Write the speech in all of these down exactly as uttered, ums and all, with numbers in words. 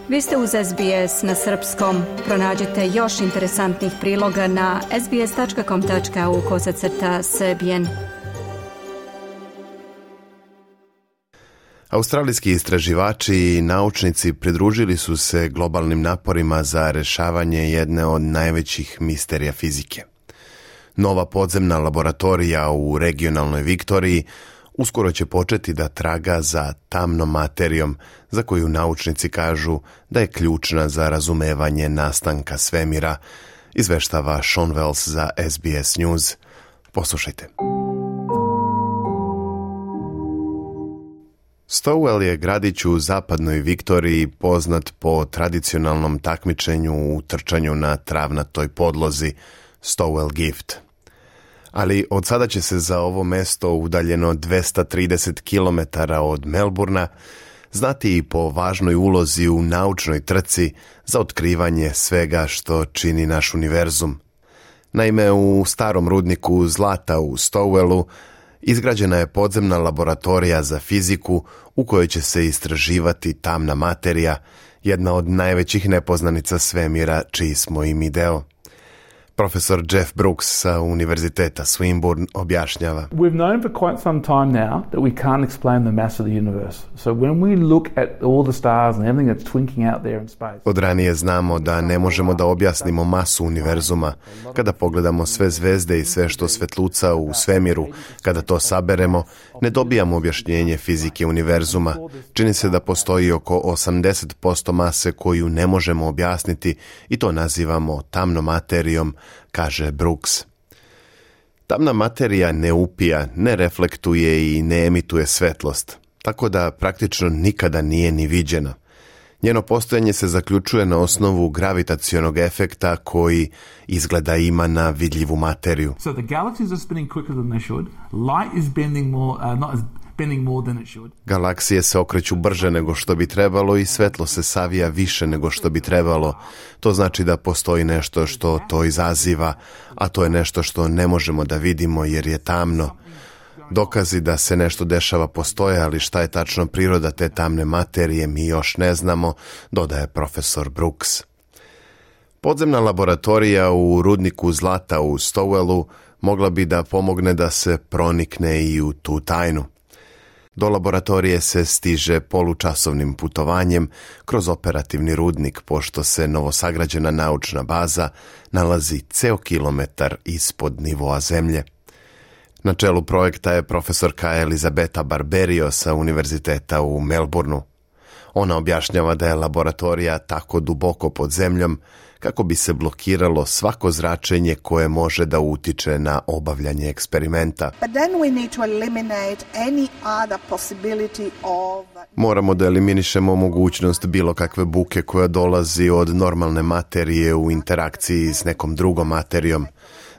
Vi ste uz S B S na srpskom. Pronađite još interesantnih priloga na sbs.com.au kosacrta srbijen. Australijski istraživači i naučnici pridružili su se globalnim naporima za rješavanje jedne od najvećih misterija fizike. Nova podzemna laboratorija u regionalnoj Viktoriji uskoro će početi da traga za tamnom materijom, za koju naučnici kažu da je ključna za razumevanje nastanka svemira, izveštava Sean Wells za S B S News. Poslušajte. Stowell je gradić u zapadnoj Viktoriji poznat po tradicionalnom takmičenju u trčanju na travnatoj podlozi Stowell Gift. Ali od sada će se za ovo mesto udaljeno dvesta trideset kilometara od Melburna znati i po važnoj ulozi u naučnoj trci za otkrivanje svega što čini naš univerzum. Naime, u starom rudniku zlata u Stowellu izgrađena je podzemna laboratorija za fiziku u kojoj će se istraživati tamna materija, jedna od najvećih nepoznanica svemira čiji smo i mi deo. Profesor Jeff Brooks sa Univerziteta Swinburne objašnjava. We've known for quite some time now that we can't explain the mass of the universe. So when we look at all the stars and everything that's twinkling out there in space. Od ranije znamo da ne možemo da objasnimo masu univerzuma. Kada pogledamo sve zvezde i sve što svetluca u svemiru, kada to saberemo, ne dobijamo objašnjenje fizike univerzuma. Čini se da postoji oko osamdeset posto mase koju ne možemo objasniti i to nazivamo tamnom materijom, kaže Brooks. Tamna materija ne upija, ne reflektuje i ne emituje svetlost, tako da praktično nikada nije ni viđena. Njeno postojanje se zaključuje na osnovu gravitacionog efekta koji izgleda ima na vidljivu materiju. So the galaxies are spinning quicker than they should. Light is bending more, uh, not as bending more than it should. Galaksije se okreću brže nego što bi trebalo i svetlo se savija više nego što bi trebalo. To znači da postoji nešto što to izaziva, a to je nešto što ne možemo da vidimo jer je tamno. Dokazi da se nešto dešava postoje, ali šta je tačno priroda te tamne materije mi još ne znamo, dodaje profesor Brooks. Podzemna laboratorija u rudniku zlata u Stowellu mogla bi da pomogne da se pronikne i u tu tajnu. Do laboratorije se stiže polučasovnim putovanjem kroz operativni rudnik, pošto se novosagrađena naučna baza nalazi ceo kilometar ispod nivoa zemlje. Na čelu projekta je profesorka Elizabeta Barberio sa Univerziteta u Melbourneu. Ona objašnjava da je laboratorija tako duboko pod zemljom kako bi se blokiralo svako zračenje koje može da utiče na obavljanje eksperimenta. Moramo da eliminišemo mogućnost bilo kakve buke koja dolazi od normalne materije u interakciji s nekom drugom materijom.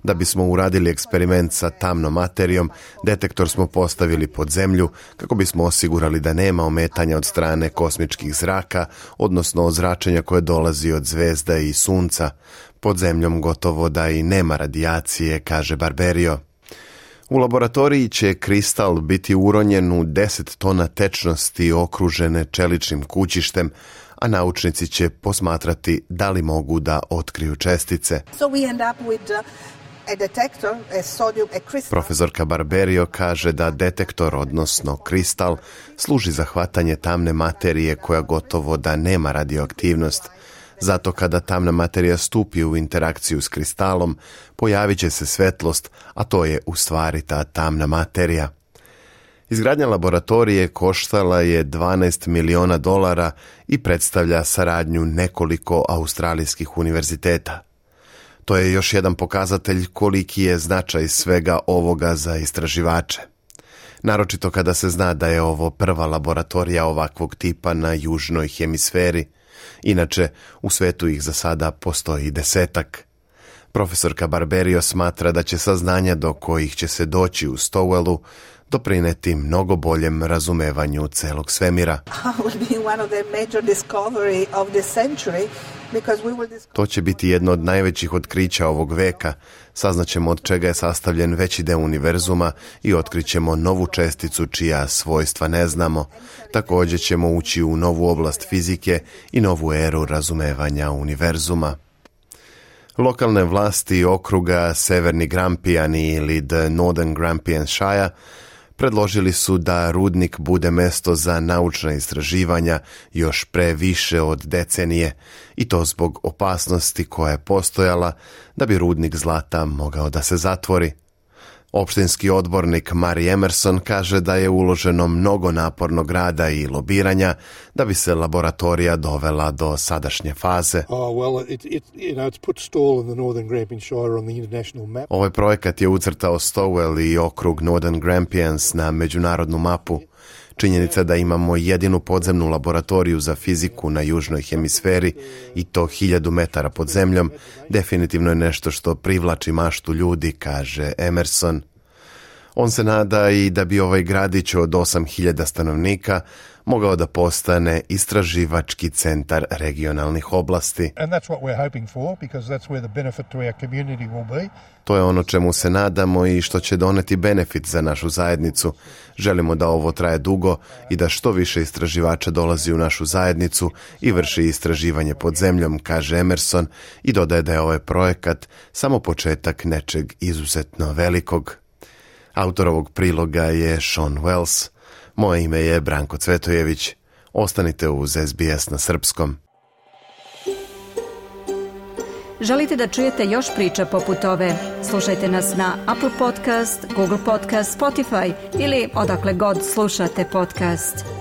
Da bismo uradili eksperiment sa tamnom materijom, detektor smo postavili pod zemlju kako bismo osigurali da nema ometanja od strane kosmičkih zraka, odnosno od zračenja koje dolazi od zvezda i sunca. Pod zemljom gotovo da i nema radijacije, kaže Barberio. U laboratoriji će kristal biti uronjen u deset tona tečnosti okružene čeličnim kućištem, a naučnici će posmatrati da li mogu da otkriju čestice. So we end up with, uh... Detektor, a sodium, a crystal. Profesorka Barberio kaže da detektor, odnosno kristal, služi za hvatanje tamne materije koja gotovo da nema radioaktivnost. Zato kada tamna materija stupi u interakciju s kristalom, pojavit će se svetlost, a to je u stvari ta tamna materija. Izgradnja laboratorije koštala je dvanaest miliona dolara i predstavlja saradnju nekoliko australijskih univerziteta. To je još jedan pokazatelj koliki je značaj svega ovoga za istraživače. Naročito kada se zna da je ovo prva laboratorija ovakvog tipa na južnoj hemisferi. Inače, u svetu ih za sada postoji desetak. Profesorka Barberio smatra da će saznanja do kojih će se doći u Stowellu doprineti mnogo boljem razumevanju celog svemira. To će biti jedno od najvećih otkrića ovog veka. Saznaćemo od čega je sastavljen veći deo univerzuma i otkrićemo novu česticu čija svojstva ne znamo. Također ćemo ući u novu oblast fizike i novu eru razumevanja univerzuma. Lokalne vlasti okruga Severni Grampiani ili The Northern Grampian Shire predložili su da rudnik bude mesto za naučna istraživanja još pre više od decenije i to zbog opasnosti koja je postojala da bi rudnik zlata mogao da se zatvori. Opštinski odbornik Mari Emerson kaže da je uloženo mnogo napornog rada i lobiranja da bi se laboratorija dovela do sadašnje faze. Ovaj projekat je ucrtao Stowell i okrug Northern Grampians na međunarodnu mapu. Činjenica da imamo jedinu podzemnu laboratoriju za fiziku na južnoj hemisferi i to hiljadu metara pod zemljom, definitivno je nešto što privlači maštu ljudi, kaže Emerson. On se nada i da bi ovaj gradić od osam hiljada stanovnika mogao da postane istraživački centar regionalnih oblasti. To je ono čemu se nadamo i što će doneti benefit za našu zajednicu. Želimo da ovo traje dugo i da što više istraživača dolazi u našu zajednicu i vrši istraživanje pod zemljom, kaže Emerson i dodaje da je ovaj projekat samo početak nečeg izuzetno velikog. Autor ovog priloga je Sean Wells. Moje ime je Branko Cvetojević. Ostanite uz S B S na srpskom. Želite da čujete još priča poput ove? Slušajte nas na Apple Podcast, Google Podcast, Spotify ili odakle god slušate podcast.